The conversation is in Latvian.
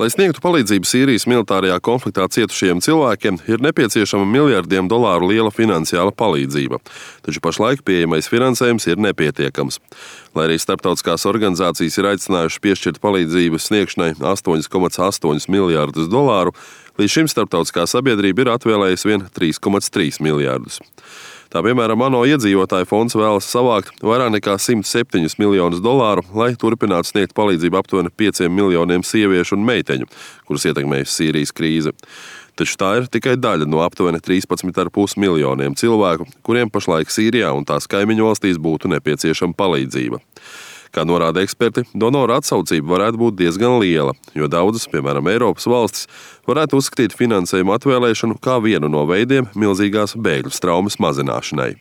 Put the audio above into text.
Lai sniegtu palīdzību Sīrijas militārajā konfliktā cietušajiem cilvēkiem, ir nepieciešama miljardiem dolāru liela finansiāla palīdzība, taču pašlaik pieejamais finansējums ir nepietiekams. Lai arī starptautiskās organizācijas ir aicinājušas piešķirt palīdzības sniegšanai 8,8 miljārdus dolāru, līdz šim starptautiskā sabiedrība ir atvēlējusi vien 3,3 miljārdus. Tā piemēram, ANO iedzīvotāju fonds vēlas savākt vairāk nekā 107 miljonus dolāru, lai turpinātu sniegt palīdzību aptuveni 5 miljoniem sieviešu un meiteņu, kurus ietekmējusi Sīrijas krīze. Taču tā ir tikai daļa no aptuveni 13,5 miljoniem cilvēku, kuriem pašlaik Sīrijā un tās kaimiņu valstīs būtu nepieciešama palīdzība. Kā norāda eksperti, donoru atsaucība varētu būt diezgan liela, jo daudzas, piemēram, Eiropas valstis, varētu uzskatīt finansējumu atvēlēšanu kā vienu no veidiem milzīgās bēgļu traumas mazināšanai.